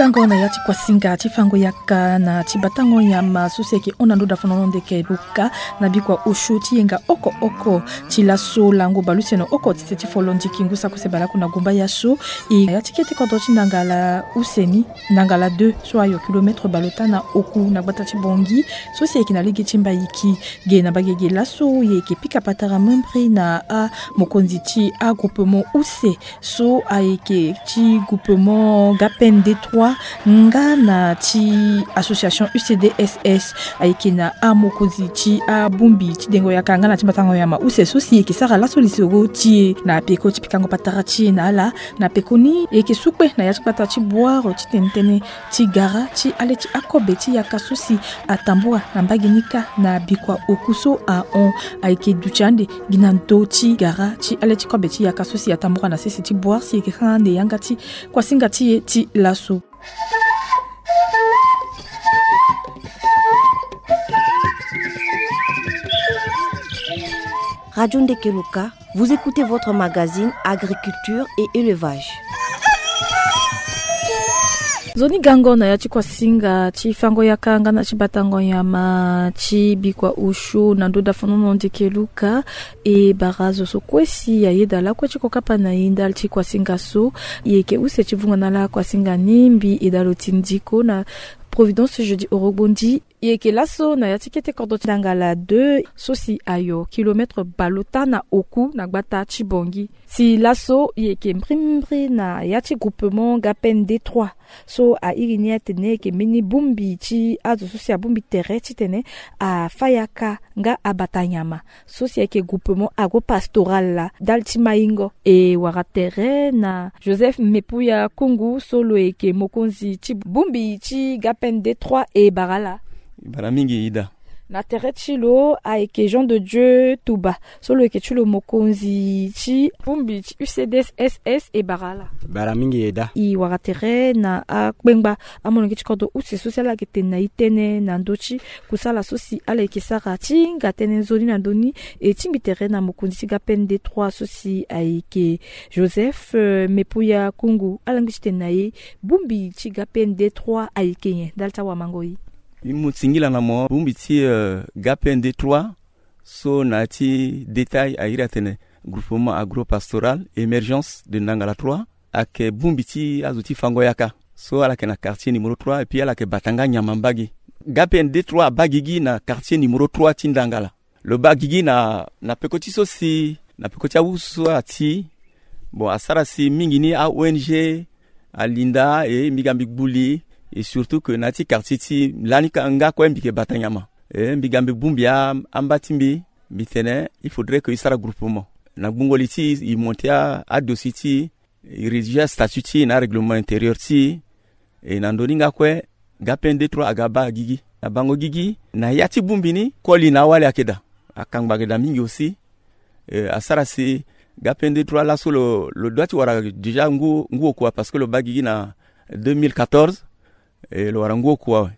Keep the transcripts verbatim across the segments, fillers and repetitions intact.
Tango na ya ti kuasinga ti fango yaka na ti batango nyama so si ayeke hon na ndo dafonono ndeke luka na bikua osio ti yenga oko oko ti laso lango baleuse na oko tite ti folo ndiki ngu sako se baleoko na gumba ya so. E na ya ti kete kodro ti ndangala use ni, ndangala deux so ayo kilomètre baleota na oku na gbata ti bongi so si ayeke na lege ti mbaiki. Ge na bagege laso ye yeke pika patara membri na amokonzi ti agroupement use so ayeke ti groupement gapen d trois nga na ti association ucdss. Ayeke na amokonzi ti abongbi ti dengo yaka nga na ti batango nyama use so si yeke sara laso lisoro ti e na peko ti pikango patara ti e na ala. Na peko ni e yeke su kpe na ya ti gbata ti boire ti tene tënë ti gara ti ale ti akobe ti yaka so si atambua na mbage ni kâ na bikua oku so ahon. Ayeke duti ande gi na ndö ti gara ti ale ti kobe ti yaka so si atambua na sese ti boire si e yeke sara ande yanga ti kuasinga ti e ti laso. Radio Ndekeloka, vous écoutez votre magazine Agriculture et Élevage. Nzoni gango na ya ti kuasinga ti fango yaka nga na ti batango nyama ti bikua osio na ndo dafonono ndeke luka. E bara zo so kue si ayeda lakue ti kokapa na e ndali ti kuasinga so. E yeke use ti vunga na ala kuasinga ni mbi e dalo ti ndiko na Providence Jeudi Orogbondi. E yeke laso na ya ti kete kodro ti ndangala deux so si ayo kilomètre baleota na oku na gbata ti bongi. Si laso e yeke mbrimbri na ya ti groupement gapen d trois so airi ni atene e yeke mbeni bongbi ti azo so si abongbi tere titene afa yaka nga abata nyama so si ayeke groupement agropastoral la ndali ti maingo. E wara tere na Joseph Mepuya Kungu so lo yeke mokonzi ti bongbi ti gapen d trois e bara ala. Bara mingi ida. Na tere ti lo ayeke Jean de Dieu Touba so lo yeke ti lo mokonzi ti bongbi ti ucdss e bara ala. Bara mingi eda. E wara tere na akpengba amolenge ti kodro use so si ala yeke tene na e tënë na ndö ti kusala so si ala yeke sara ti hinga tënë nzoni na ndö ni. E tingbi tere na mokonzi ti gapen d trois so si ayeke Joseph, euh, Mepuya Kungu. Ala ngbi ti tene na e bongbi ti gapen d trois ayeke nyen ndali ti awamango e. Mbi mu singila na mo bongbi ti, euh, gapen d trois so na ya ti détail airi atene groupement agropastoral émergence de ndangala trois. Ayeke bongbi ti azo ti fango yaka so ala yeke na quartier numéro trois et puis ala yeke bata nga nyama mbage. Gapen d trois abaa gigi na quartier numéro trois ti ndangala. Lo baa gigi na, na peko ti so si na peko ti awu so ati. Bon, asara si mingi ni a-ong alinda e mbi ga mbi gbu li. Et surtout que na ya ti quartier ti lani ka nga kue mbi yeke bata nyama. E mbi ga mbi bongbi a, amba ti mbi. Mbi tene il faudrait que e sara groupement na gbungo li ti e, e monte a, adossier ti e, e rédiger astatut ti e na arèglement intérieur ti e. E na ndö ni nga kue gapen d trois aga baa gigi. Na bango gigi na ya ti bongbi ni koli na awali ayeke daa. Akangba ayeke daa mingi aussi. E asara si gapen d trois laso lo, lo doit ti wara déjà ngu, ngu oku awe parce que lo baa gigi na deux mille quatorze. E lo wara ngu oku awe.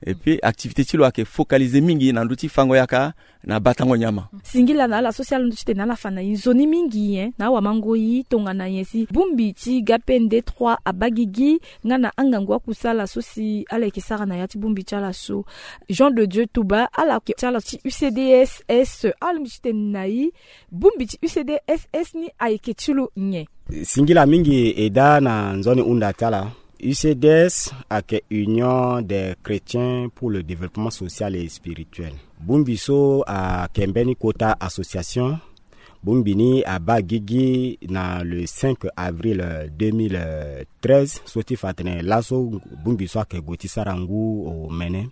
Et puis activité ti lo ayeke focaliser mingi na ndö ti fango yaka na batango nyama. Singila na ala so si ala ndö ti tene ala fa na e nzoni mingi nyen na awamango e tongana nyen si bongbi ti gapen d trois abaa gigi nga na angangu akusala so si ala yeke sara na ya ti bongbi ti ala so. Jean de Dieu Touba ala yeke ti ala ti ucdss, ala lingbi ti tene na e bongbi ti ucdss ni ayeke ti lo nyen? Singila mingi eda na nzoni hunda ti ala. UCDS ayeke Union des Chrétiens pour le Développement Social et Spirituel. Bongbi so ayeke mbeni kota association. Bongbi ni abaa gigi na le cinq avril, euh, deux mille treize so ti fa atene laso bongbi so ayeke gue ti sara ngu omene.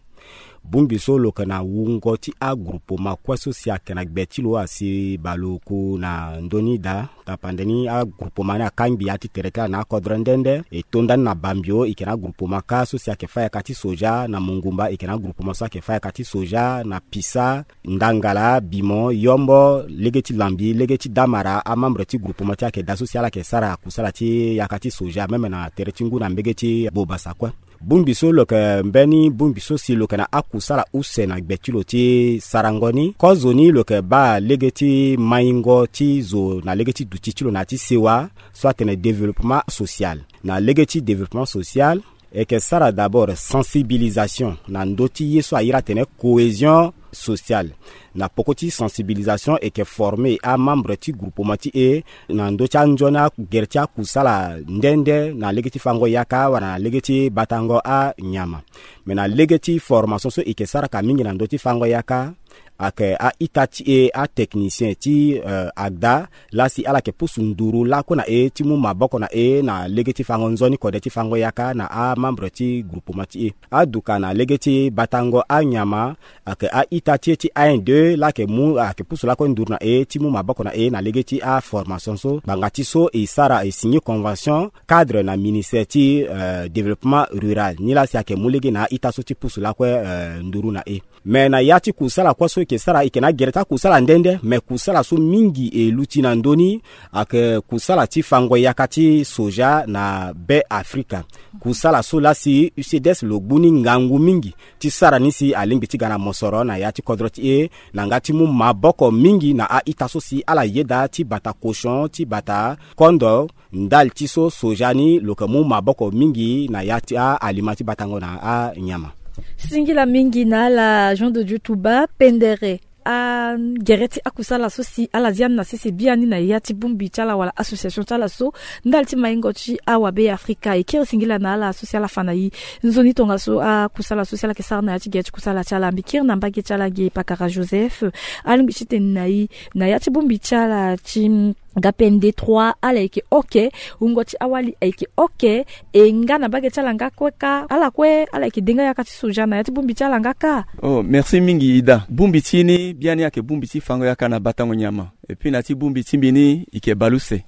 Bongbi so lo yeke na wungo ti agroupement kue so si ayeke na gbe ti lo asi baleoku na ndö ni daa. Tapande ni agroupement ni akangbi ya ti tere ti ala na akodro nde nde. E to nda ni na Bambio e yeke na agroupement kâ so si ayeke fâ yaka ti soja, na Mongumba e yeke na agroupement so ayeke fâ yaka ti soja, na Pisa, Ndangala, Bimo, Yombo, lege ti Lambi, lege ti Damara, amembre ti groupement ti ayeke daa so si ala yeke sara kusala ti yaka ti soja même na tere ti ngu na mbege ti Bobasa kue. Bongbi so lo yeke mbeni bongbi so si lo yeke na akusala use na gbe ti lo ti sarango ni. Kozo ni lo yeke baa lege ti maingo ti zo na lege ti duti ti lo na ya ti sewa so atene développement social. Na lege ti développement social, E yeke sara d'abord sensibilisation na ndö ti ye so a iri atene cohésion sociale. Na poko ti sensibilisation e yeke former amembre ti groupement ti e na ndö ti anzoni agere ti akusala nde nde na lege ti fango yaka wala na lege ti batango anyama. Me na lege ti formation so e yeke sara ka mingi na ndö ti fango yaka, ayeke a-ita ti e atechnicien ti, eh, agda, laa si ala yeke pusu nduru lakue na e ti mu maboko na e na lege ti fango nzoni kode ti fango yaka na amembre ti groupement ti e. Aduka na lege ti batango anyama, ayeke a-ita ti e ti un deux laa ayeke mu, ayeke pusu lakue nduru na e ti mu maboko na e na lege ti aformation so. Ngbanga ti so e sara, e signer convention cadre na ministère ti, eh, développement rural, ni laa si ayeke mu lege na a-ita so ti pusu lakue, eh, nduru na e. Me na ya ti kusala kue so e yeke sara, e yeke na gere ti akusala nde nde, me kusala so mingi e luti na ndö ni ayeke kusala ti fango yaka ti soja na Be Afrika. Kusala so laa si U C D S lo gbu ni ngangu mingi ti sara ni si alingbi ti ga na mosoro na ya ti kodro ti e, na nga ti mu maboko mingi na a-ita so si ala yeda ti bata cochon, ti bata kondo, ndali ti so soja ni lo yeke mu maboko mingi na ya ti a-alima ti batango na anyama. Singila mingi na ala Jean de Dieu Touba, pendere agere ti akusala so si ala zia ni na sese biani na ya ti bongbi ti ala wala association ti ala so, ndali ti maingo ti awabe Afrika. E kiri singila na ala so si ala fa na e nzoni tongaso akusala so si ala yeke sara na ya ti gere ti kusala ti ala. Mbi kiri na mbage ti ala ge pakara Joseph, alingbi ti tene na e na ya ti bongbi ti ala ti Ga P N D trois, ala yeke oke, wungo ti awali ayeke oke, e nga na mbage ti ala nga kue ka, ala kue ala yeke de nga yaka ti soja na ya ti bongbi ti ala nga ka. Oh, merci mingi Ida. Bongbi ti ni biani ayeke bongbi ti fango yaka na batango nyama. Et puis na ya ti bongbi ti mbi ni e yeke baleuse.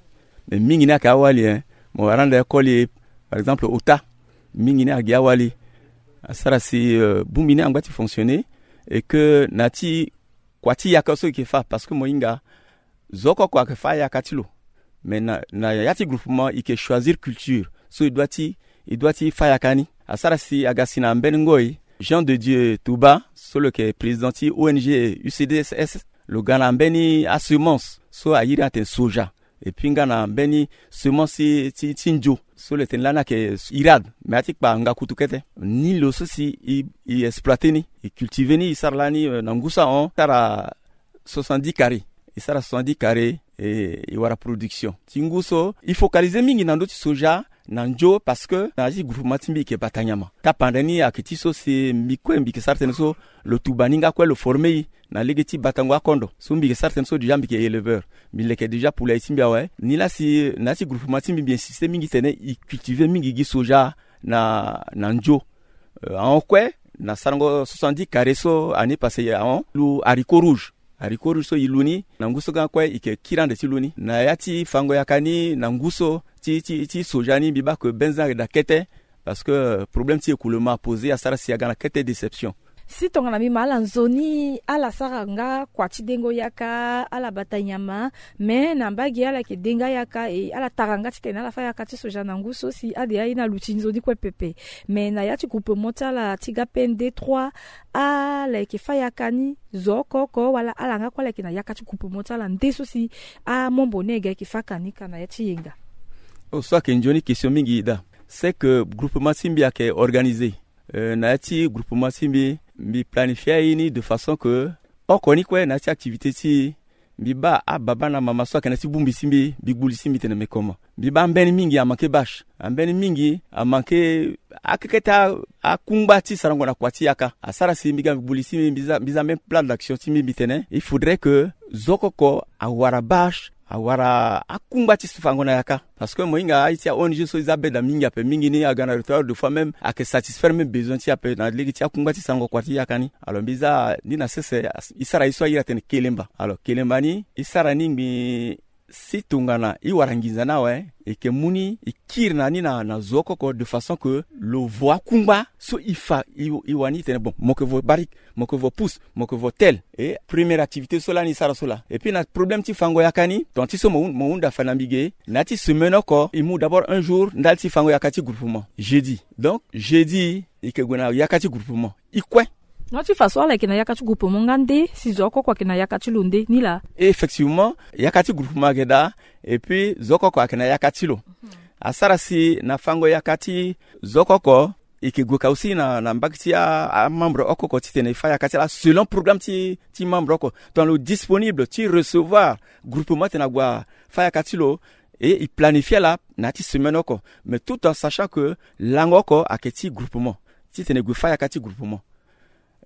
Mais mingi ni ayeke awali, hein. Mo wara ande koli, par exemple, ota. Mingi ni ayeke gi awali. Asara si, euh, bongbi ni angba ti fonctionner. Et que na ya ti kua ti yaka so e yeke fâ, parce que mo hinga zo oko oko ayeke fâ ayaka ti lo. Mais na, na ya ti groupement e yeke choisir culture so e doit ti, e doit ti fâ ayaka ni. Asara si aga si na mbeni ngoi, Jean de Dieu Touba so lo yeke président ti O N G U C D S S, lo ga na mbeni asemence so a iri atene soja. Et puis nga na mbeni semence ti, ti nzo so lo tene lani ayeke irad, mais a ti kpa nga kutu kete. Ni lo so si e, e exploiter ni, e cultiver ni, e sara lani, euh, na ngu so ahon, e sara soixante-dix carrés. E sara soixante-dix carrés, e, e wara production. Ti ngu so e focaliser mingi na ndö ti soja na nzo, parce que na ya ti groupement ti mbi e yeke bata nyama. Tapande ni ayeke ti so si mbi kue mbi yeke sara tënë so lo tuba ni nga kue lo former e na lege ti batango akondo. So mbi yeke sara tënë so déjà mbi yeke éleveur. Mbi leke déjà poulailler ti mbi awe. Ni laa si na ya ti groupement ti mbi mbi insister mingi tene e cultiver mingi gi soja na, na nzo. Euh, ahon kue, na sarango soixante-dix carrés so année passée ahon, lu haricot rouge. Haricot rouge so e lu ni, na ngu so ga kue e yeke kiri ande ti lu ni. Na ya ti fango yaka ni, na ngu so ti, ti, ti soja ni, mbi baa ke benzin ayeke daa kete, parce que, euh, problème ti écoulement aposer, asara si aga na kete déception. Si tongana mbi ma ala nzoni, ala sara nga kua ti dengo yaka, ala bata nyama, mais na mbage ala yeke de nga yaka, e ala tara nga titene ala fâ yaka ti soja na ngu so si ade aye ni aluti nzoni kue pepe. Mais na ya ti groupement ti ala ti ga P N D trois, ala yeke fâ yaka ni zo oko oko, wala ala nga kue ala yeke na yaka ti groupement ti ala nde so si amembre ni ayeke ga yeke fâ ka ni ka na ya ti yenga? Oh, so ayeke nzoni question mingi daa. C'est que groupement ti mbi ayeke organisé. Euh, na ya ti groupement ti mbi, mbi planifie aye ni de façon que oko ni kue na ya ti activité ti e, mbi baa ababa na amama so ayeke na ya ti bongbi ti mbi, mbi gbu li ti mbi tene me comment. Mbi baa ambeni mingi amanke bâche, ambeni mingi amanke akekete a, akungba ti sarango na kua ti yaka. Asara si mbi ga mbi gbu li ti mbi, mbi za, mbi za même plan d'action ti mbi, mbi tene il faudrait que zo oko oko awara bâche, awara akungba ti fango na yaka. Parce que mo hinga aye ti a O N G so e za beda mingi ape, mingi ni aga na retard, de fois même ayeke satisfaire même besoin ti e ape na lege ti akungba ti sarango kua ti yaka ni. Alors mbi za ni na sese, e sara ye so a iri atene kelemba. Alors kelemba ni e sara ni ngbii si tongana e wara nginza ni awe, e yeke mu ni e kiri na ni na, na zo oko oko de façon que lo vo akungba so e fa, e, e wani e tene bon, mo yeke vo barrique, mo yeke vo pousse, mo yeke vo tel. E première activité so lani e sara so laa. Et puis na problème ti fango yaka ni, ton ti so mo, mo hunda fa na mbi ge, na ya ti semaine oko e mu d'abord un jour ndali ti fango yaka ti groupement, jeudi. Donc jeudi e yeke gue na yaka ti groupement. E kue. Na ya ti fa so ala yeke na yaka ti groupement nga nde si zo oko oko ayeke na yaka ti lo nde ni laa? Effectivement, yaka ti groupement ayeke daa, et puis zo oko oko ayeke na yaka ti lo. asara si na fango yaka ti zo oko oko, e yeke gue ka aussi na, na mbage ti a, amembre oko oko titene e fa yaka ti ala selon programme ti, ti membre oko. Tongana lo disponible ti recevoir groupement titene ague afa yaka ti lo, e e planifie ala na ya ti semaine oko. Mais tout en sachant que lango oko ayeke ti groupement titene e gue fa yaka ti groupement.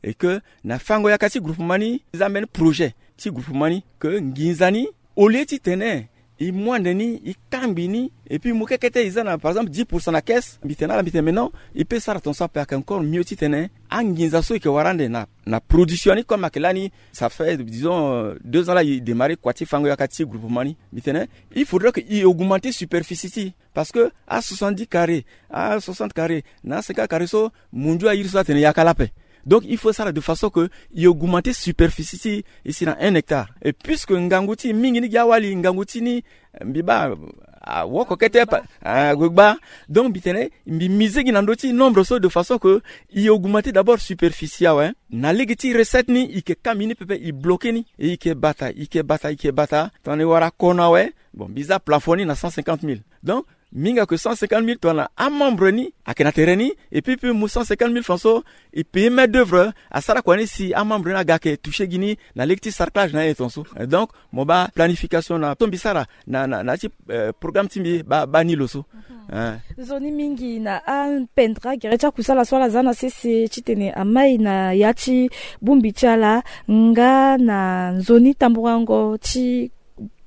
Et que na fango yaka ti groupement ni, e za mbeni projet ti groupement ni, que nginza ni, au lieu titene e mu ande ni, e kangbi ni, et puis mu kekete e za na, par exemple, dix pour cent na caisse, mbi tene na ala, mbi tene mais non, e peut sara tongaso ape, ayeke encore mieux titene anginza so e yeke wara ande na, na production ni, comme ayeke lani, ça fait, disons, euh, deux ans la e démarrer kua ti fango yaka ti groupement ni. Mbi tene, il faudrait que e augmenter superficie ti e. Parce que a soixante-dix carrés, a soixante carrés, na a cinquante carrés so, mundu a iri so atene yaka laa ape. Donc il faut sara de façon que e augmenter superficie ti e, e si na un hectare. Et puisque ngangu ti e mingi ni gi awali, ngangu ti ni, mbi baa, awoko kete pa, ague gbaa. Donc mbi tene, mbi miser gi na ndö ti nombre so de façon que e augmenter d'abord superficie awe. Na lege ti recette ni, e yeke kangbi ni pepe, e bloquer ni, e yeke bata, e yeke bata, e yeke bata. Tongana e wara kono awe, bon, mbi za plafond ni na cent cinquante mille. Donc mingi ayeke cent cinquante mille tongana amembre ni ayeke na tere ni, et puis, puis mu cent cinquante mille francs so e payer main d'œuvre, asara kua ni si amembre ni aga ayeke toucher gi ni na lege ti sarclage na ye tongaso. Donc mo baa planification na so mbi sara na, na, na ya ti, euh, programme ti mbi baa, baa ni lo so. Hein. Nzoni mingi na apendre gere ti akusala so ala za na sese titene amai na ya ti bongbi ti ala, nga na nzoni tamburango ti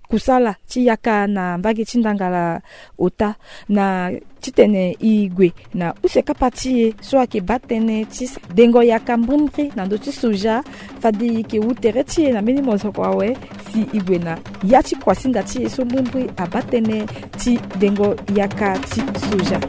kusala ti yaka na mbage ti ndangala ota, na titene e gue na use kapa ti e so ayeke baa tënë ti dengo yaka mbrimbri na ndö ti soja. Fade e yeke wu tere ti e na mbeni mozoko awe si e gue na ya ti kuasinga ti e so mbrimbri abaa tënë ti dengo yaka ti soja.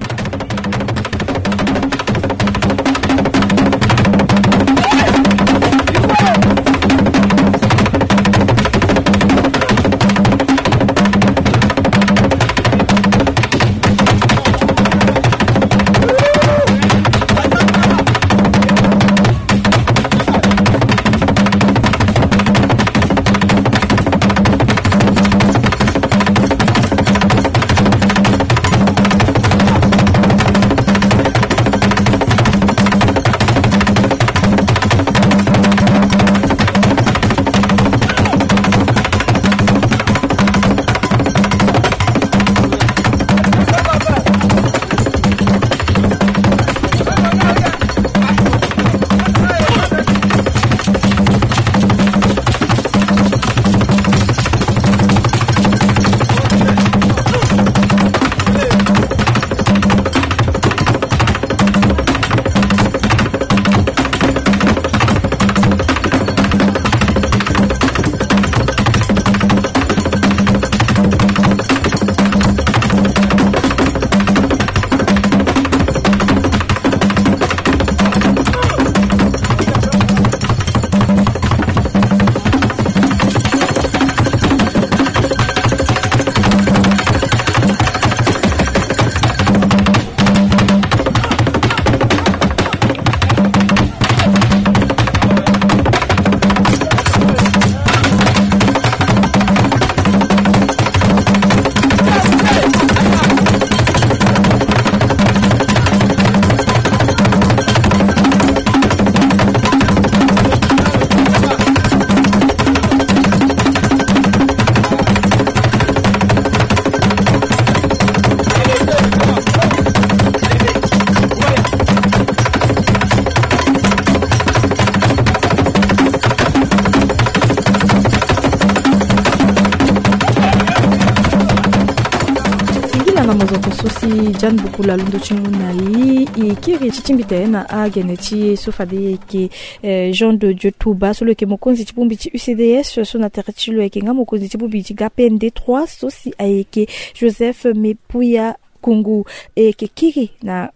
Singila na mozoko so si Jeanne Bukula londo ti ngu na e, e kiri ti tingbi tene na agene ti e so fade e yeke, eh, Jean de Dieu Touba so lo yeke mokonzi ti bongbi ti U C D S so na tere ti lo ayeke nga mokonzi ti bongbi ti G P N D trois so si ayeke Joseph Mepuya Kungu, e yeke kiri na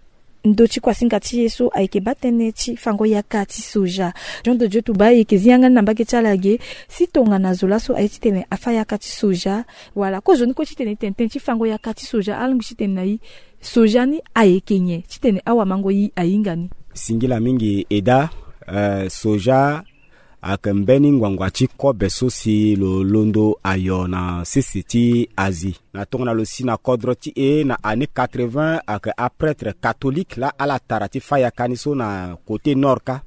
ndö ti kuasinga ti e so ayeke baa tënë ti fango yaka ti soja. Jean de Dieu Touba e yeke zi yanga ni na mbage ti ala ge si tongana zo laso aye titene afa yaka ti soja, wala kozoni kue titene e tene tënë ti fango yaka ti soja, alingbi titene na e soja ni ayeke nyen titene awamango e ahinga ni. Singila mingi Eda. Eh, soja Ayeke mbeni ngbangba ti kobe so si lo londo ayo na sese ti Asie. Na tongana lo si na kodro ti e na année quatre-vingts, ayeke aprêtre catholique laa ala tara ti fâ yaka ni so na côté nord kâ.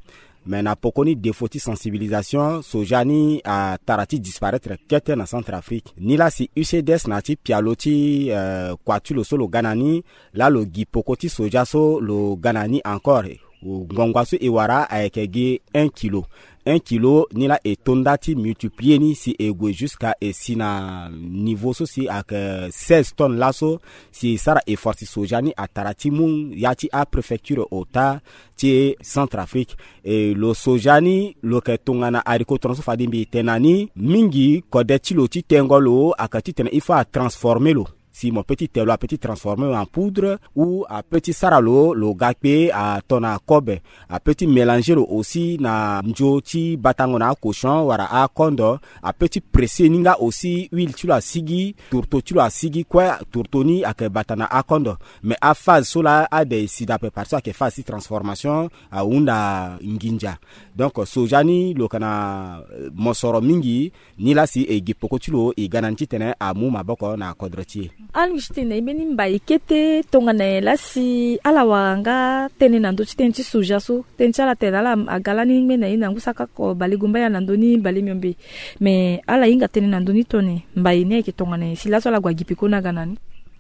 Mais na poko ni défaut ti sensibilisation, soja ni atara ti disparaître kete na Centrafrique. Ni laa si U C D S na ya ti pialo ti, eh, kua ti lo so lo ga na ni, laa lo gi poko ti soja so lo ga na ni encore. Ngbangba so e wara ayeke gi un kilo. Un kilo ni laa e to nda ti multiplier ni si e gue jusqu'à e si na niveau so si ayeke seize tonnes laso, si e sara effort si soja ni atara ti mu ya ti apréfecture ota ti Centrafrique. E lo soja ni lo yeke tongana haricot tongana so fade mbi tene na ni mingi, kode ti lo ti tengo lo ayeke titene il faut atransformer lo. Si mo peut ti te lo apeut ti transformer lo en poudre ou apeut ti sara lo lo ga kpe ato na kobe. Apeut ti mélanger lo aussi na nzo ti batango na acochon wala akondo. Apeut ti presser ni nga aussi huile ti lo asigi, tourteau ti lo asigi kue, tourteau ni ayeke bata na akondo. Mais aphase so laa ade e si dape parce que ayeke phase ti transformation, ahunda nginza. Donc soja ni lo yeke na, eh, mosoro mingi. Ni laa si e gi poko ti lo e ga na ni titene amu maboko na kodro ti e. Alingbi ti tene na e mbeni mbai kete tongana nyen laa si ala wara nga tënë na ndö ti tënë ti soja so, tënë ti ala tene na ala aga lani ngbene na e na ngu saka oko bale gumba ya na ndö ni bale miombe. Me ala hinga tënë na ndö ni tone mbai ni ayeke tongana nyen si laso ala gue agi peko ni aga na ni?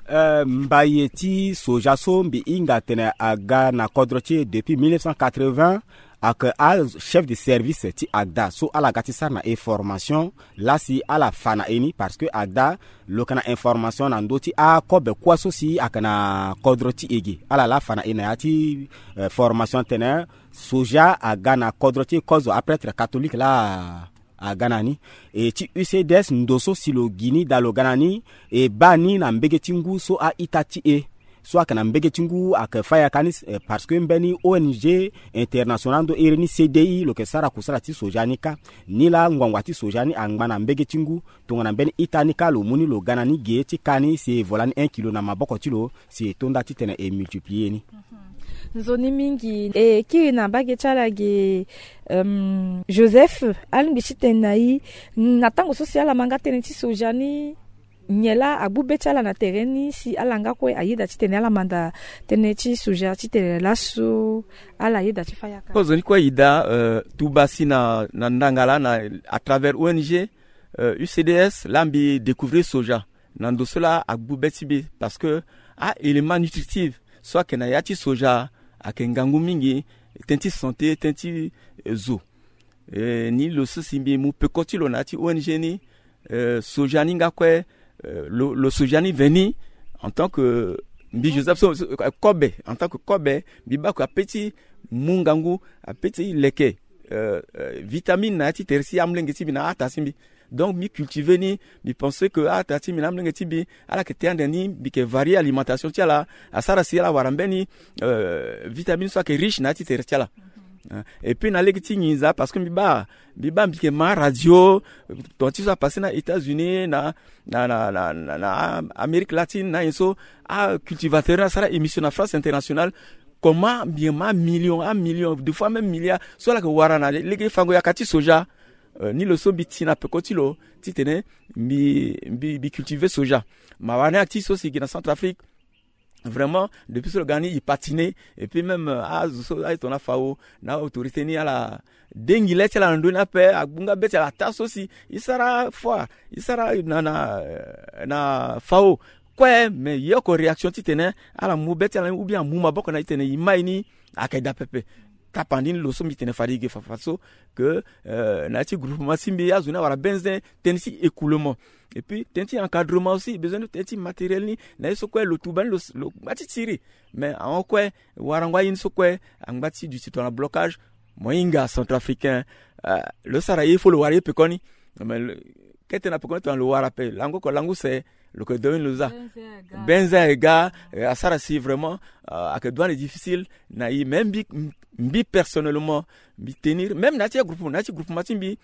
Eh, mbai ti soja so mbi hinga tene aga na kodro ti e depuis mille neuf cent quatre-vingts, ayeke achef de service ti agda so ala ga ti sara na e formation. Laa si ala fa na e ni parce que agda lo yeke na information na ndö ti akobe kuâ so si ayeke na kodro ti e ge. Ala laa fa na e na ya ti, eh, formation tene soja aga na kodro ti e kozo aprêtre catholique laa aga na ni. E ti U C D S ndo so si lo gi ni daa lo ga na ni, e baa ni na mbege ti ngu so a-ita ti e so ayeke na mbege ti ngu ayeke fâ yaka ni, eh, parce que mbeni O N G international ndo iri ni C D I lo yeke sara kusala ti soja ni kâ. Ni laa ngbangba ti soja ni angba na mbege ti ngu tongana mbeni ita ni kâ lo mu ni lo ga na ni ge ti ka ni si e vo lani un kilo na maboko ti lo si e to nda titene e multiplier ni. Nzoni mingi e kiri na mbage ti ala ge. Euh, Joseph, alingbi ti tene na e, na tango so si ala ma nga tënë ti soja ni, nyen laa agbu be ti ala na tere ni si ala nga kue ayeda titene ala manda tënë ti soja titene laso ala yeda ti fâ yaka? Kozo ni kue e da, euh, tuba si na, na ndanga laa na, à travers O N G, euh, U C D S laa mbi découvrir soja. Na ndo so laa agbu be ti mbi parce que a-élément nutritif so ayeke na ya ti soja ayeke ngangu mingi, tënë ti santé, tënë ti, eh, zo. Eh, ni lo so si mbi mu peko ti lo na ya ti O N G ni, eh, soja ni nga kue, eh, lo, lo soja ni veni en tant que mbi Joseph so, so, eh, kobe, en tant que kobe, mbi baa kue apeut ti mu ngangu, apeut ti leke, eh, eh, vitamine na ya ti tere ti amolenge ti mbi na ata ti mbi. Donc mbi cultiver ni, mbi pense que ata ti mbi na amolenge ti mbi ala yeke te ande ni, mbi yeke varier alimentation ti ala, asara si ala wara mbeni, euh, vitamine so ayeke riche na ya ti tere ti ala. Hein. Et puis na lege ti nginza parce que mbi baa, mbi baa mbi yeke ma radio, tonga ti so apasse na États-Unis, na, na, na Amérique latine na nyen so, acultivateur ni asara émission na France Internationale. Comment mbi yeke ma million, amillion, des fois même milliard so ala yeke wara na lege fango yaka ti soja. Euh, ni lo so mbi ti na peko ti lo titene mbi, mbi, mbi cultiver soja. Mawa ni ati so si gi na Centrafrique. Vraiment depuis so lo ga ni e patiner. Et puis même, euh, azo so aye tongana FAO na autorité ni ala dengi le ti ala na ndö ni ape, agbu nga be ti ala ata so si e sara foi, e sara na, na, euh, na FAO kue, mais e oko réaction titene ala mu be ti ala ni ou bien amu maboko na e titene e mai ni ayeke daa pepe. Tapandi ni lo so mbi tene fade e ge fafa so que, euh, na ya ti groupement ti mbi azo ni awara benzen tënë ti écoulement. Et puis tënë ti encadrement aussi, besoin ti tënë ti matériel ni na ye so kue lo tuba ni lo, lo ngba ti tiri. Mais ahon kue warango aye ni so kue angba ti duti tongana blocage. Mo hinga centrafricain, euh, lo sara ye, il faut lo wara ye pekoni. Mais lo, kete na pekoni tongana lo wara ape lango oko lango use, lo yeke doni lo za. Benzen ayeke ga, eh, asara si vraiment, euh, ayeke duane difficile na e. Mais mbi, mbi personnellement mbi tenir même na ya ti agroupe, na ya ti groupement ti mbi,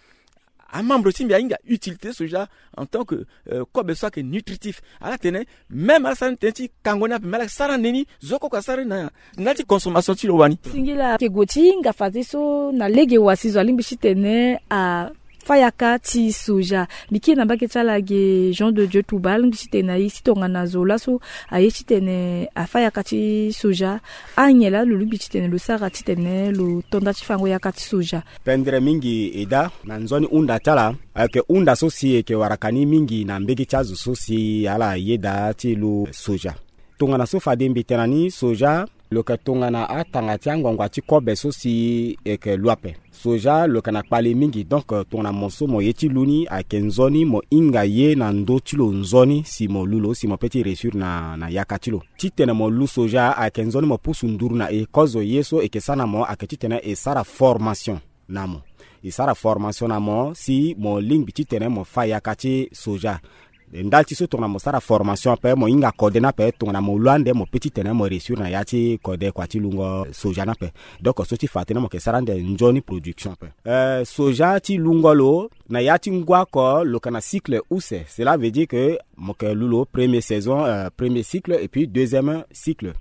Amembre ti mbi ahinga utilité soja en tant que euh, kobe so ayeke nutritif. Ala tene même ala sara ni tënë ti kango ni ape, me ala sara ni ni zo koko asara ni na ndali ti consommation ti lo wani. Singila. Ayeke gue ti hinga fadeso na lege wa si zo alingbi titene a fa yaka ti soja. Mbi kiri na mbage ti ala ge Jean de Dieu Touba, alingbi titene na e si tongana zo laso aye titene afa yaka ti soja. Anyen laa lo lingbi titene lo sara titene lo to nda ti fango yaka ti soja? Pendere mingi eda, na nzoni hunda ti ala, ayeke hunda so si e yeke waraka ni mingi na mbage ti azo so si ala yeda ti lu soja. Tongana so fade mbi tene na ni, soja lo yeke tongana atanga ti angbangua ti kobe so si e yeke lu ape. Soja lo yeke na kpale mingi, donc tongana mo so mo ye ti lu ni ayeke nzoni, mo hinga ye na ndö ti lo nzoni si mo lu lo si mo peut ti réussir na, na yaka ti lo. Titene mo lu soja ayeke nzoni mo pusu nduru na e. Kozo ye so e yeke sara na mo ayeke titene e sara formation na mo. E sara formation na mo si mo lingbi titene mo fa yaka ti soja. Ndali ti so tongana mo sara formation ape, mo hinga kode ni ape, tongana mo lu ande mo peut titene mo réussir na ya ti kode kua ti lungo soja ni ape. Donc so ti fa tënë mo yeke sara ande nzoni production ape. Euh, soja ti lungo lo na ya ti ngu oko lo yeke na cycle use. Cela veut dire que mo yeke lu lo premier saison, euh, premier cycle et puis deuxième cycle.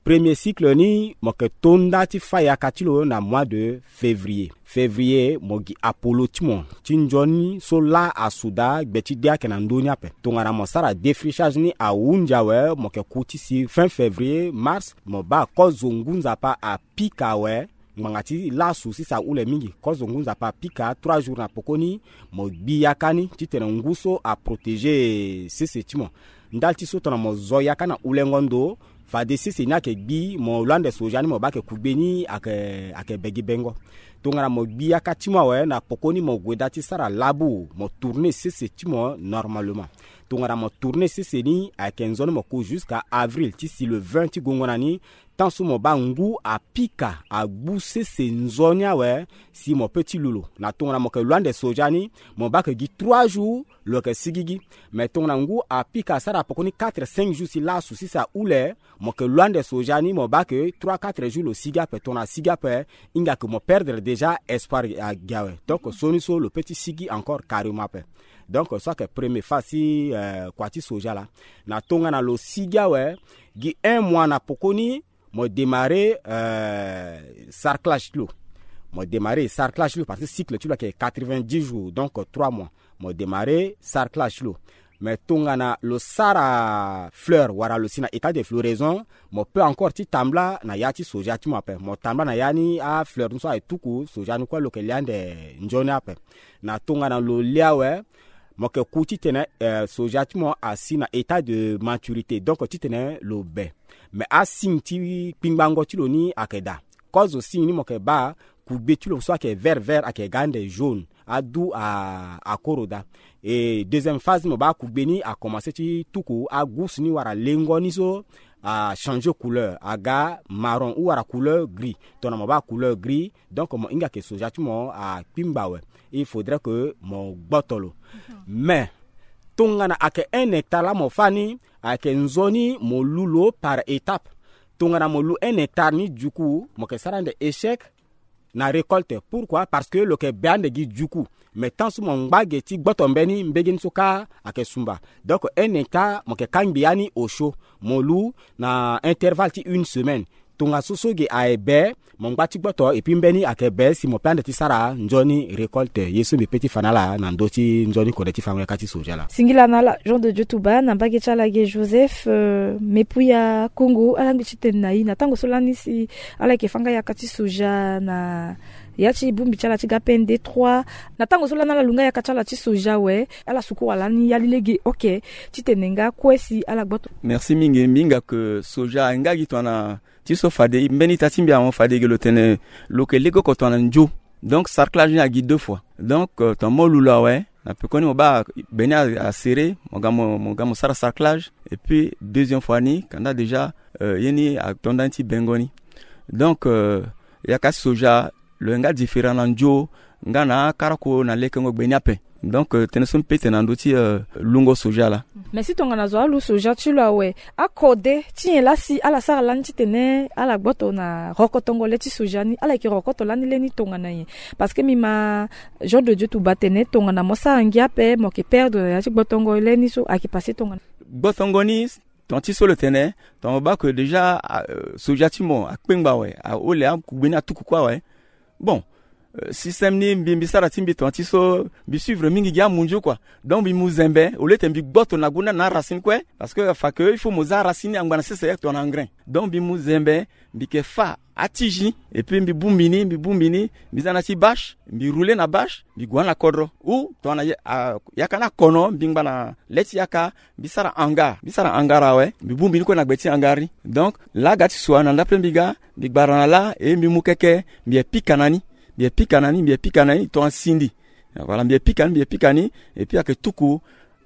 Premier cycle ni mo yeke to nda ti fa yaka ti lo na mois de février. Février mo gi apolo ti mo ti nzoni so laa asuda gbe ti de ayeke na ndö ni ape. Tongana mo sara défrichage ni ahunzi awe, mo yeke ku ti si fin février, mars, mo baa kozo ngu nzapa apika awe. Ngbanga ti lasu sisa ahule mingi, kozo ngu nzapa apika trois jours na pokoni, mo gbi yaka ni titene ngu so aprotégé sese ti mo. Ndali ti so tongana mo zo yaka na hulengo ndo, fade sese ni ayeke gbi, mo lu ande soja ni mo baa ayeke kugbe ni ayeke, ayeke be gi bengo. Tongana mo gbi yaka ti mo awe, na pokoni mo gue daa ti sara labu, mo tourner sese ti mo normalement. Tongana mo tourner sese ni ayeke nzoni mo ku jusqu'à avril ti si le vingt ti gongo na ni, tant so mo baa ngu apika agbu sese nzoni awe si mo peut ti lu lo. Na tongana mo yeke lu ande soja ni, mo baa ayeke gi trois jours lo yeke sigigi. Mais tongana ngu apika asara pokoni quatre cinq jours si lasu sisa ahule, mo yeke lu ande soja ni mo baa ayeke trois quatre jours lo sigi ape. Tongana asigi ape, hinga ayeke mo perdre déjà espoir agi awe. Donc so ni so lo peut ti sigi encore carrément ape. Donc so ayeke premier phase ti euh, kua ti soja laa. Na tongana lo sigi awe, gi un mois na pokoni, mo démarrer euh, sarclage ti lo. Mo démarrer sarclage ti lo parce que cycle ti lo ayeke quatre-vingt-dix jours, donc trois mois. Mo démarrer sarclage ti lo. Mais tongana lo sara fleur wala lo si na état de floraison, mo peut encore ti tambula na ya ti soja ti mo ape. Mo tambula na ya ni afleur ni so aye tuku, soja ni kue lo yeke lia ande nzoni ape. Na tongana lo lia awe, mo yeke ku titene euh, soja ti mo asi na état de maturité, donc titene lo be. Mais asigne ti kpingbango ti lo ni ayeke daa. Kozo signe ni mo yeke baa, kugbe ti lo so ayeke vert vert ayeke ga ande jaune, adu a, akoro daa. Et deuxième phase ni mo baa kugbe ni akomanse ti tuku, agusu ni wala lengo ni so achanger couleur, aga marron ou wala couleur gris. Tongana mo baa couleur gris, donc mo hinga ayeke soja ti mo akpingba awe. Il faudrait que mo gboto lo. Mais tongana ayeke un hectare laa mo fâ ni, ayeke nzoni mo lu lo par étape. Tongana mo lu un hectare ni, du coup mo yeke sara ande échec na récolte. Pourquoi? Parce que lo yeke be ande gi, du coup. Mais tant so mo ngba ge ti gboto mbeni, mbege ni so kâ ayeke sumba. Donc un hectare mo yeke kangbi ya ni osio, mo lu na intervalle ti une semaine. Tongaso so ge aye be, mo ngba ti gboto, et puis mbeni ayeke be si mo pe ande ti sara nzoni récolte. Ye so mbi pe ti fa na ala na ndö ti nzoni kode ti fango yaka ti soja laa. Singila na ala Jean de Dieu Touba, na mbage ti ala ge Joseph euh, Mepuya Kongo, ala ngbi ti tene na e na tango so lani si ala yeke fâ nga yaka ti soja na ya ti bongbi ti ala ti ga P N D trois. Na tango so lani ala lu nga yaka ti ala ti soja awe, ala suku wala ni yali lege oke titene nga kue si ala gboto. Merci mingi. Mbi hinga ke soja aye nga gi tongana ti so fade mbeni ita ti mbi ahon fade ge lo tene lo yeke lege oko tongana nzio. Donc sarclage ni agi deux fois. Donc euh, tongana mo lu lo awe, na pekoni mo baa be ni aserré, mo ga mo, mo ga mo sara sarclage. Et puis deuxième fois ni kanda déjà euh, ye ni ato nda ni ti bengo ni. Donc euh, yaka ti soja lo yeke nga différent na nzio. nga na akarako na lekengo gbe ni ape. Donc tënë so mbi pe tene na ndö ti lungo soja laa. Mais si tongana zo alu soja ti lo awe, akode ti nyen laa si ala sara lani titene ala gboto na rokotongo le ti soja ni? Ala yeke rokoto lani le ni tongana nyen? Parce que mbi ma Jean de Dieu Touba atene tongana mo sara ngia ape mo yeke perdre na ya ti gbotongo le ni so ayeke passe tongana. Gbotongo ni, ton ti so lo tene, ton mo baa ke déjà soja ti mo akpengba awe, ahole akugbe ni atuku kue awe. Bon, système ni mbi mbi sara ti mbi ton ti so mbi suivre mingi gi amunzu kua. Donc mbi mu zembe au lieu ti mbi gboto na gunda na aracine kue, parce que afa ke il faut mo za aracine ni angba na sese tongana engrin. Donc mbi mu zembe, mbi yeke fa atizi, et puis mbi bongbi ni mbi bongbi ni, mbi za na ti bache, mbi roule na bache, mbi gue na kodro ou tongana yaka ni akono mbi ngba na le ti yaka. Mbi sara hangar mbi sara hangar awe, mbi bongbi ni kue na gbe ti hangar ni. Donc laa ga ti sua na ndapele mbi ga, mbi gbara na laa e mbi mu keke, mbi ye pika na ni, mbi ye pika na ni mbi ye pika na ni tongana sindi. Voilà mbi ye pika ni mbi ye pika ni. Et puis ayeke tuku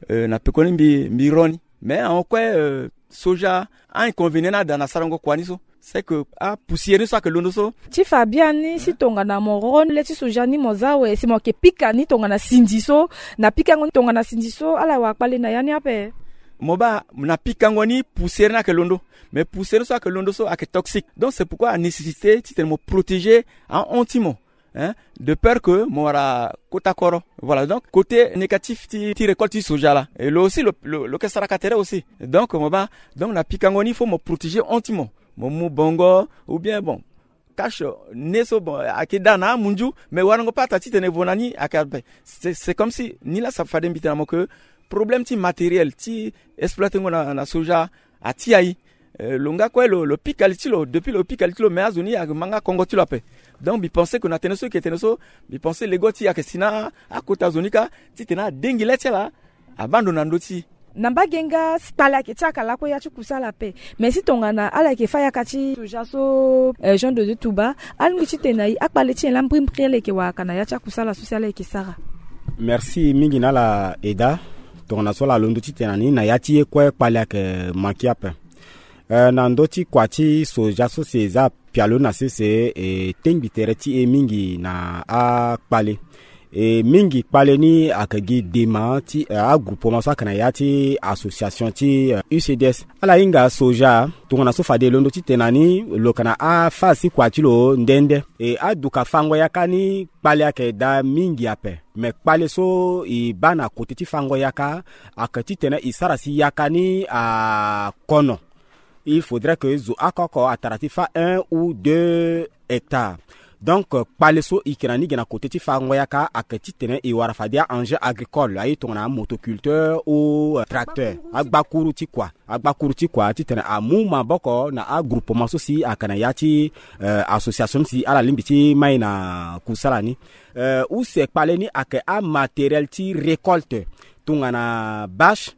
na pekoni mbi mbi ro ni. Mais ahon kue soja, a-inconvénient ni ada na sarango kua ni so, c'est que apoussière ni so ayeke londo so. Ti fa biani si tongana mo ro ni le ti soja ni mo za awe si mo yeke pika ni tongana sindi so, na pikango ni tongana sindi so ala wara kpale na ya ni ape? Mo baa na pikango ni poussière ni ayeke londo. Mais poussière ni so ayeke londo so ayeke toxique, donc c'est pourquoi anécessité titene mo protéger ahon ti mo, hein, de peur que mo wara kota koro. Voilà, donc côté négatif ti ti récolte ti soja laa, et lo aussi lo lo lo yeke saraka tere aussi. Donc mo baa, donc na pikango ni faut mo protéger hon ti mo, mo mu bongo ou bien bon, cache ne so bon ayeke daa na amunzu. Mais warango pe ata titene vo na ni ayeke ape. C'est comme si ni laa sa fade mbi tene na mo ke problème ti matériel ti exploitengo na soja ati ayi. Lo nga kue lo pika li ti lo depuis lo pika li ti lo mais azo ni ayeke ma nga kongo ti lo ape. Donc mbi pense ke na tënë so eke tene so, mbi pense lego ti e ayeke si na akota zo ni kâ titene adengi le ti ala abando na ndö ti e. Na mbage nga kpale ayeke ti aka lakue ya ti kusala ape. Mais si tongana ala yeke fâ yaka ti soja so, Jean de Dieu Touba, alingbi titene na e akpale ti nyen laa mbrimbri ala yeke wara aka na ya ti akusala so si ala yeke sara? Merci mingi na ala Eda. Tongana so ala londo titene na ni na ya ti ye kue kpale ayeke manke ape. Na ndö ti kua ti soja so si e za pialo na sese e tengbi tere ti e mingi na akpale. E mingi kpale ni ayeke gi dema ti agroupement so ayeke na ya ti association ti U C D S. Ala hinga soja tongana so fade e londo titene na ni lo yeke na aphase ti kua ti lo nde nde. E aduka fango yaka ni kpale ayeke daa mingi ape. Me kpale so e baa na kote ti fango yaka ayeke titene e sara si yaka ni akono. Il faudrait que zo oko oko atara ti fâ un ou deux hectares. Donc kpale so e yeke na ni ge na kote ti fango yaka ayeke titene e wara fade a-engin agricole aye tongana amotoculteur ou tracteur, agbakuru ti kua. Agbakuru ti kua titene amu maboko na agroupement so si ayeke na ya ti association si ala lingbi ti mai na kusala ni. Use kpale ni ayeke amatériel ti récolte tongana bâche.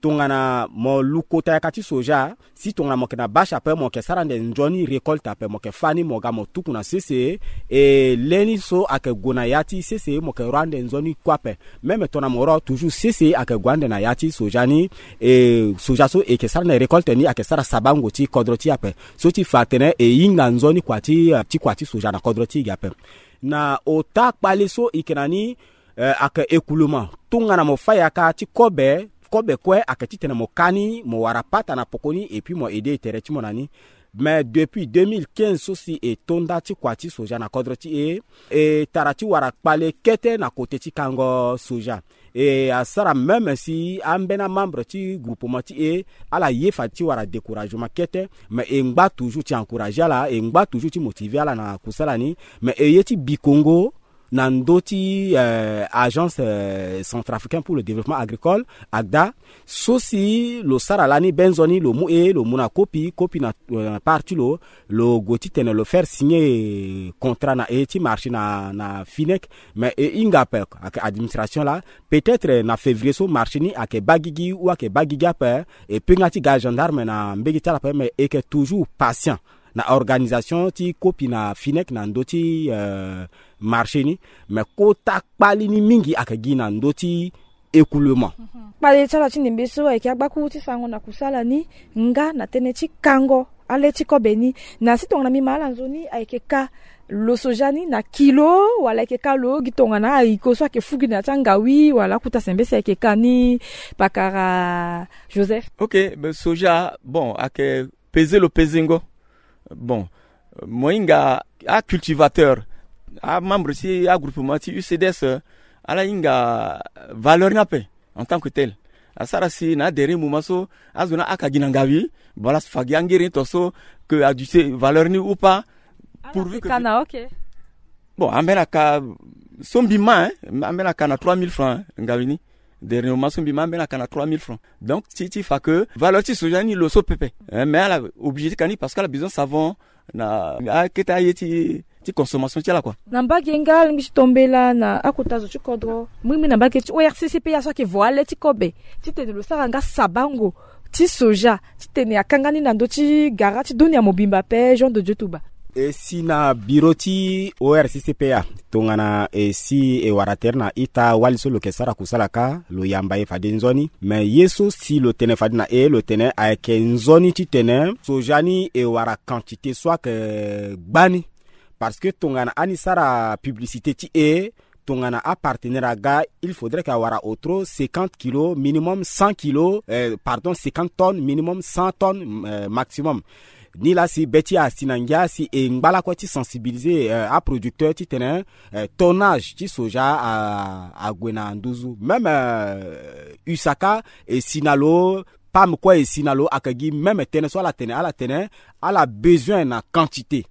Tongana mo lu kota yaka ti soja, si tongana mo yeke na bâche ape mo yeke sara ande nzoni récolte ape mo yeke fâ ni mo ga mo tuku na sese. E le ni so ayeke gue na ya ti sese mo yeke ro ande nzoni kue ape. Même tongana mo ro toujours sese ayeke gue ande na ya ti soja ni. E soja so e yeke sara ande récolte ni ayeke sara sabango ti kodro ti e ape. So ti fa atene e hinga nzoni kua ti ti kua ti soja na kodro ti e ge ape. Na ota kpale so e yeke na ni ayeke écoulement. Tongana mo fâ yaka ti kobe, kobe kue ayeke titene mo ka ni mo wara pata na poko ni et puis mo aider tere ti mo na ni. Mais depuis deux mille quinze so si e to nda ti kua ti soja na kodro ti e, e tara ti wara kpale kete na kote ti kango soja. E asara même si ambeni amembre ti groupement ti e ala ye fa ti wara découragement kete. Mais e ngba toujours ti encourager ala, e ngba toujours ti motiver ala na kusala ni. Mais e ye ti bikongo na ndö ti agence centrafricaine pour le développement agricole, agda, so si lo sara lani be nzoni lo mu e lo mu na kopi kopi na part ti lo. Lo gue titene lo faire signer contrat na e ti marché na na Finec. Mais e hinga ape ayeke administration laa. Peut-être na février so marché ni ayeke baa gigi ou ayeke baa gigi ape. E pe nga ti ga gendarme na mbege ti ala ape mais e yeke toujours patient na organisation ti kopi na Finec na ndö ti marché ni. Mais kota kpali ni mingi ayeke gi na ndö ti écoulement. Kpale ti ala ti ndembe so ayeke agbakuru ti sango na kusala ni nga na tënë ti kango ale ti kobe ni. Na si tongana mbi ma ala nzoni ayeke ka Lo soja ni na kilo wala ayeke ka lo gi tongana ahiko so ayeke fu gi na ya ti angawi wala akuta sembe si ayeke ka ni? Pakara Joseph. Ok, mais soja, bon, ayeke peze lo pezengo. Bon, mo hinga acultivateur, amembre ti agroupement ti U C D S, ala hinga valeur ni ape en tant que tel. Asara si na aderrier moment so azo ni aka gi na ngawi, bon, ala fa gi angere ni to so, que aduti valeur ni ou pas. Pourvu que kana, ok. Bon, ambeni aka so mbi ma, hein, ambeni aka na trois mille francs, hein, ngawi ni. Dernièrement so mbi ma, ambeni aka na trois mille francs. Donc ti ti fa que valeur ti soja ni lo so pepe, hein, mais ala obligé ti ka ni parce que ala besoin savon na akete aye ti ti consommation ti ala, quoi. Na mbage nga alingbi ti tombela na akota zo ti kodro, mingi mingi na mbage ti O R C C P A so ayeke vo ale ti kobe titene lo sara nga sabango ti soja titene akanga ni na ndö ti gara ti dunia mobimba ape. Jean de Dieu Touba. E si na biro ti O R C C P A, tongana e si e wara tere na ita wali so lo yeke sara kusala kâ, lo yamba e fade nzoni. Me ye so si lo tene fade na e, lo tene ayeke nzoni titene soja ni e wara quantité so ayeke gbani. Parce que tongana ani sara publicité ti e, tongana apartenaire aga, il faudrait que awara otro cinquante kilos minimum, cent kilos, euh, pardon, cinquante tonnes minimum, cent tonnes, euh, maximum. Ni laa si be ti asi na ngia si e ngba lakue ti sensibiliser, euh, aproducteur titene, euh, tonnage ti soja a, ague na nduzu. Même, euh, usaka e si na lo, pam kue e si na lo, ayeke gi même tënë so ala tene, ala tene ala besoin na quantité.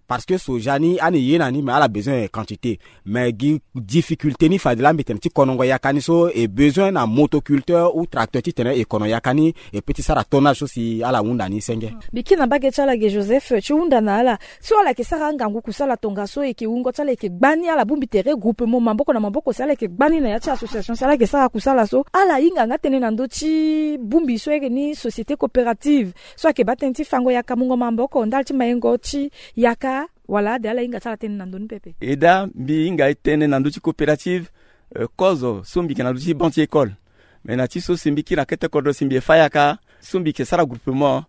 Parce que soja ni ani ye na ni, mais ala besoin quantité. Mais gi difficulté ni fade laa mbi tene ti konongo yaka ni so, e besoin na motoculteur ou tracteur titene e kono yaka ni, e peut ti sara tonnage so si ala hunda ni senge. Mbi kiri na mbage ti ala ge Joseph ti hunda na ala so ala yeke sara angangu kusala tongaso, e yeke wungo ti ala e yeke gbani, ala bongbi tere groupement maboko na maboko si ala yeke gbani na ya ti association si ala yeke sara kusala so, ala hinga nga tënë na ndö ti bongbi so eke ni société coopérative so ayeke baa tënë ti fango yaka, mungo maboko ndali ti mayengo ti yaka. Wala ade ala hinga ti ala tënë na ndö ni pepe? E daa, mbi hinga e tënë na ndö ti coopérative, euh, kozo so mbi yeke na ndö ti banc ti école. Me na ti so si mbi kiri na kete kodro si mbi ye fâ yaka, so mbi yeke sara groupement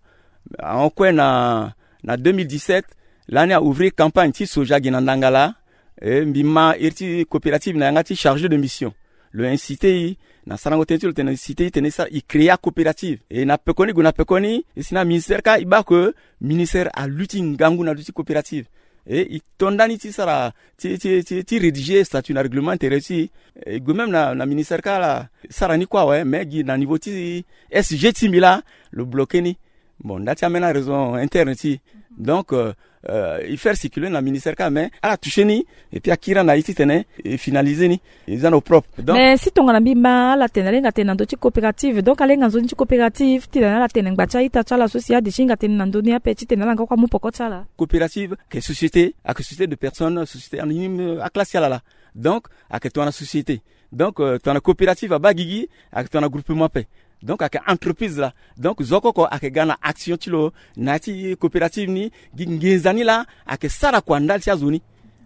ahon kue na, na deux mille dix-sept, lani a ouvrir campagne ti soja gi na ndanga laa. E mbi ma iri ti coopérative na yanga ti chargé de mission. Lo inciter e na sarango tënë ti lo tene, inciter e tene e sara, e créer acoopérative. E na pekoni gue na pekoni, e si na ministère kâ e baa que ministère aluti ngangu na ndö ti coopérative. E e to ndani ti sara, ti, ti, ti, ti rédiger statut na règlement intérieur ti e. E gue même na, na ministère kâ ala sara ni kue awe, mais gi na niveau ti S G ti mbi laa lo bloquer ni. Bon, nda ti ambeni araison interne ti. Donc, euh, euh, e faire circuler na ministère kâ, mais ala toucher ni, et puis akiri na e titene e finaliser ni, e za na au propre. Donc, mais si tongana mbi ma ala tene ala hinga tene na ndö ti coopérative, donc ala hinga nzoni ti coopérative titene ala tene ngba ti a-ita ti ala so si ade ti hinga tene na ndö ni ape titene ala nga kue amu poko ti ala. Coopérative ayeke société, ayeke société de personnes, société anonyme, euh, aclasse ti ala laa. Donc ayeke tongana société. Donc, euh, tongana coopérative abaa gigi, ayeke tongana groupement ape. Donc ayeke entreprise laa. Donc zo oko oko ayeke ga na action ti lo na ya ti coopérative ni. Gi nginza ni laa ayeke sara kua ndali ti azo ni.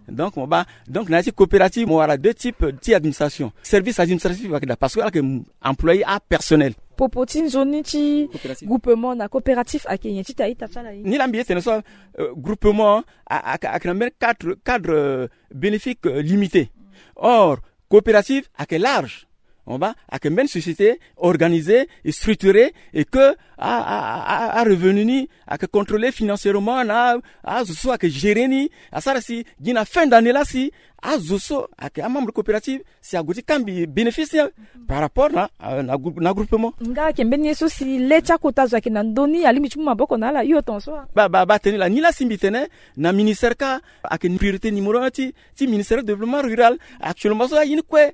Donc mo baa, donc na ya ti coopérative mo wara deux types ti administration. Service administratif ayeke daa parce que ala yeke employé apersonnel. Popo ti nzoni ti groupement na coopérative ayeke nyen ti ta ita ti ala ye? Ni laa mbi ye tene so, euh, groupement a, a, ayeke na mbeni cadre, cadre, euh, bénéfique, euh, limité. Or coopérative ayeke large. On va, ayeke mbeni société organisée et structurée et que a, a, a, a revenu ni ayeke contrôlé financièrement na azo so ayeke gérer ni. Asara si gi na fin d'année laa si azo so ayeke amembre coopérative si ague ti kambi bénéfice ni par rapport na, na, na groupement. Nga ayeke mbeni ye so si le ti akota zo ayeke na ndö ni alingbi ti mu maboko na ala hio tongaso. Ba, ba, ba tene laa ni laa si mbi tene na ministère kâ ayeke priorité numéro un ti ti ministère du développement rural. Actuellement so aye ni kue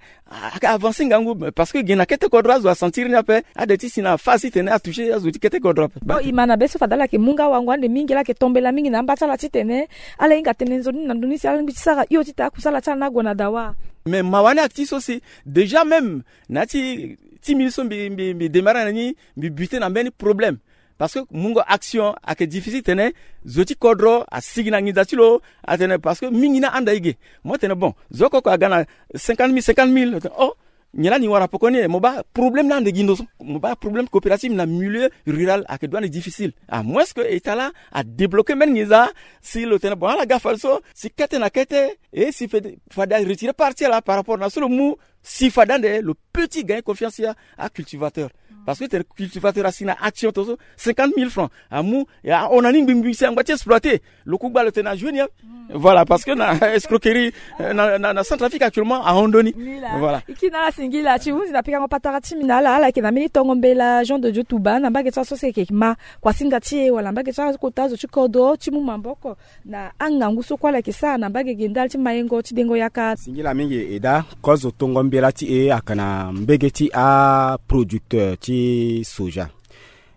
ayeke avancer ngangu parce que gi na kete kodro azo asentir ni ape. Ade ti si na phase titene atoucher azo ti kete kodro ape. Bon, e ma na be so fade ala yeke mu nga wango ande mingi, ala yeke tombela mingi na amba ti ala titene ala hinga tene nzoni na ndö ni si ala lingbi ti sara hio ti ta akusala ti ala ni ague na dawa. Mais mawa ni ayeke ti so si déjà même na ya ti ti minutes so mbi, mbi, mbi démarrer na ni, mbi buter na mbeni problème. Parce que mungo action ayeke difficile tene zo ti kodro asigi na nginza ti lo. Atene parce que mingi ni ahanda e ge. Mo tene bon, zo oko oko aga na cinquante mille, cinquante mille. Atene oh, Nyen lani wara pekoni e mo baa problème ni ande gi ndo so, mo baa problème coopérative na milieu rural ayeke dua ni difficile. À moins que état la adébloqué mbeni nginza si lo tene bon ala ga fade so si kete na kete e si fade aretiré partie la par rapport na so lo mu si fade ande lo petit gagner confiance ya acultivateur. Parce que tene cultivateur asi na action to so cinquante mille francs amu ahon na ni ngbingbi si angba ti exploité lo ku gba lo tene na joué ni. Voilà, parce que na escroquerie na centrafrique actuellement ahon ndoni. Voilà. Iki na ala singila ti hunzi na pikango patara ti mbi na ala ala yeke na mbeni tongo mbela jean de dieu touba na mbage ti ala so si eke ma kuasinga ti e wala mbage ti ala kota zo ti kodro ti mu maboko na angangu so kue ala yeke sara na mbage ge ndali ti mayengo ti dengo yaka. Singila mingi eda. Kozo tongo mbela ti e ayeke na mbege ti aproducteur ti soja.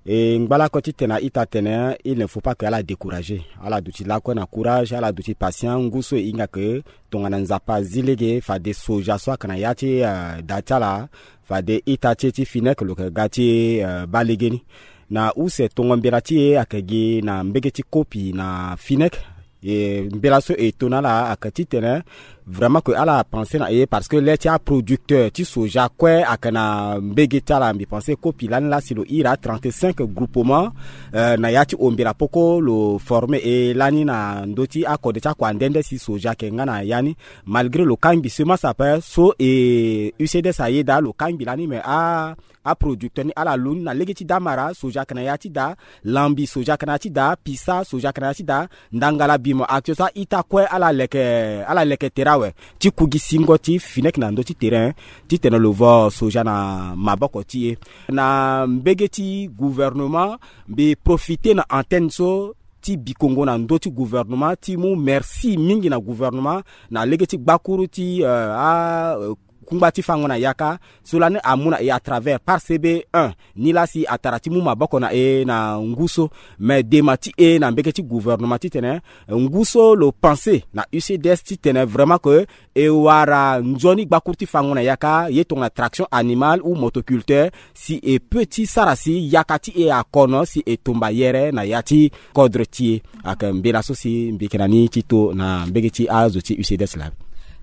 E ngba lakue titene a-ita atene il ne faut pas que ala découragé. Ala duti lakue na courage, ala duti patient. Ngu so e hinga ke tongana nzapa azi lege fade soja so ayeke na ya ti da ti ala fade ita ti e ti finek lo yeke ga ti baa legeni. Na use tongo mbela ti e ayeke gi na mbege ti kopi na finek. E mbela so e to na ala ayeke titene vraiment ke ala pensé na e parce que le ti aproducteur ti soja kue ayeke na mbege ti ala mbi pensé kopi lani laa si lo iri a trente-cinq groupement na ya ti ombela poko lo formé e lani na ndö ti akode ti akua nde nde si soja ayeke nga na ya ni. Malgré lo kangbi semence ape so e ucds ayeda lo kangbi lani me a aproducteur ni ala lu ni na lege ti damara soja ayeke na ya ti da, lambi soja ayeke na ya ti da, pisa soja ayeke na ya ti da, ndangala bimo action so a-ita kue ala leke ala leke tere awe ti ku gi singo ti finek na ndö ti terrain titene lo vo soja na maboko ti e. Na mbege ti gouvernement mbi profité na antenne so ti bikongo na ndö ti gouvernement ti mu merci mingi na gouvernement na lege ti gbakuru ti a kungba ti fango na yaka so lani amu na e à travers par cb un ni laa si atara ti mu maboko na e na ngu so. Mais dema ti e na mbege ti gouvernement titene ngu so lo pensé na ucds titene vraiment ke e wara nzoni gbakuru ti fango na yaka ye tongana traction animale ou motoculteur si e peut ti sara si yaka ti e akono si e tumba yere na ya ti kodre ti e. Ayeke mbela so si mbi yeke na ni ti to na mbege ti azo ti ucds laa.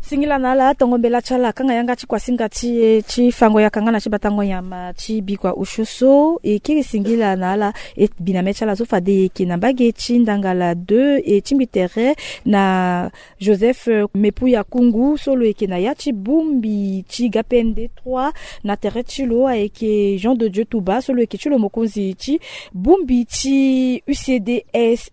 Singila na ala tongo mbela ti ala akanga yanga ti kuasinga ti e ti fango yaka nga na ti batango nyama ti bikua osio so e kiri singila na ala. E bi na mê ti ala so fade e yeke na mbage ti ndangala deux e tingbi tere na joseph mepuya kungu so lo yeke na ya ti bongbi ti gapende trois na tere ti lo ayeke jean de dieu touba so lo yeke ti lo mokonzi ti bongbi ti ucds.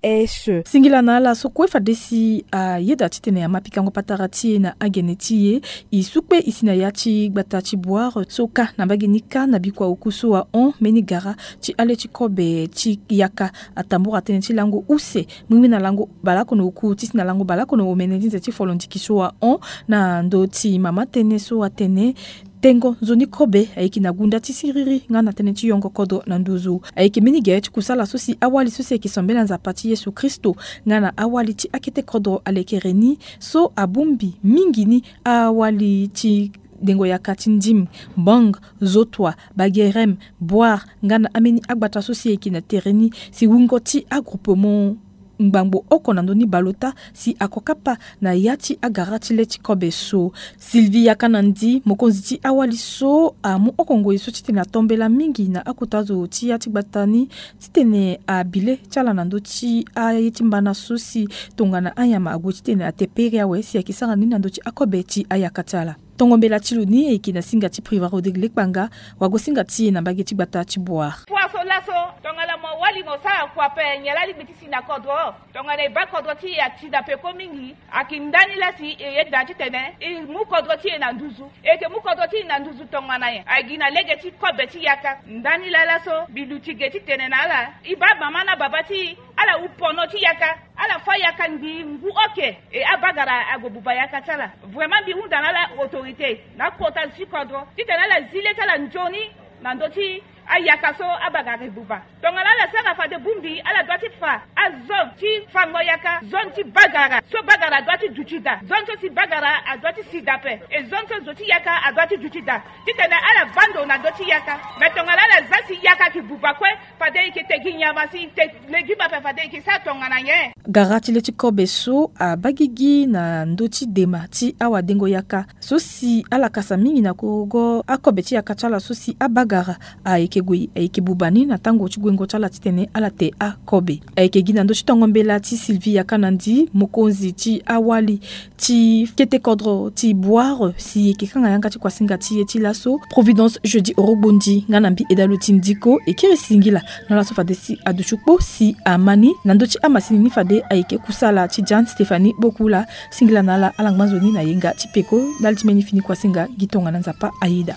Singila na ala so kue fade si ayeda titene ama pikango patara ti e na agene ti e. E su kpe e si na ya ti gbata ti boire so kâ na mbage ni kâ na bikua oku so ahon mbeni gara ti ale ti kobe ti yaka atambura tënë ti lango use mingi na lango baleoko na oku ti si na lango baleoko na omene ti nze ti folo ndiki so ahon na ndö ti mama tënë so atene tengo nzoni kobe ayeke na gunda ti siriri nga na tënë ti yongo kodro na nduzu. Ayeke mbeni gere ti kusala so si awali so si ayeke sambela nzapa ti yesu kristo nga na awali ti akete kodro alekere ni so abongbi mingi ni awali ti dengo yaka ti ndim, bang, zotoa, bagerem, boire nga na ambeni agbata so si ayeke na tere ni si wungo ti agroupement ngbangbo oko na ndö ni baleota si ako kapa na ya ti agara ti le ti kobe so. Sylvie yaka na ndi mokonzi ti awali so amu oko ngoi so titene atombela mingi na akota zo ti ya ti gbata ni titene abi le ti ala na ndö ti aye ti mbana so si tongana anyama ague titene ate pere awe si ayeke sara ni na ndö ti akobe ti ayaka ti ala. Tongo mbela ti lo ni ayeke na singa ti priva rodrigue lekpanga. Wago singa ti e na mbage ti gbata ti boire. Kua so laso tongana mo wali mo sara kua pe nyen laa lingbi ti si na kodro. Tongana e baa kodro ti e ati na peko mingi ayeke ndani laa si e yeda titene e mu kodro ti e na nduzu. E yeke mu kodro ti e na nduzu tongana nyen? Ayeke gi na lege ti kobe ti yaka. Ndani laa laso mbi luti ge titene na ala e baa mama na baba ti e ala wu pono ti yaka. Ala fâ yaka ngbii ngu oke. E abagara ague buba yaka ti ala. Vraiment mbi hunda na ala autorité na akota zo ti kodro titene ala zi le ti ala nzoni na ndö ti Ayaka so abagara ebuba. Tongana ala sara fade bongbi, ala dua ti fa azone ti fango yaka, zone ti bagara so bagara adua ti duti daa, zone so si bagara adua ti si daa ape, e zone so zo ti yaka adua ti duti daa. Titene ala baa ndo na ndö ti yaka. Me tongana ala za si yaka ayeke buba kue, fade e yeke te gi nyama si e te legime ape, fade e yeke sara tongana nyen? Gara ti le ti kobe so abaa gigi na ndö ti dema ti awadengo yaka so si ala kasa mingi na korogo akobe ti yaka ti ala so si abagara ayeke gue, ayeke buba ni na tango ti guengo ti ala titene ala te akobe. Ayeke gi na ndö ti tongo mbela ti Sylvie Yakanandi, mokonzi ti awali ti kete kodro ti Boire, si e yeke kanga yanga ti kuasinga ti e ti laso Providence Jeudi Orogbondi nga na mbi Edalo ti Ndiko, e kiri singila na ala so fade si aduti kpo si ama ni na ndö ti amasini ni fade ayeke kusala ti Jeanne Stéphanie Bokula. Singila na ala, ala ngba nzoni na yenga ti peko ndali ti mbeni fini kuasinga. Gi tongana Nzapa ayeda.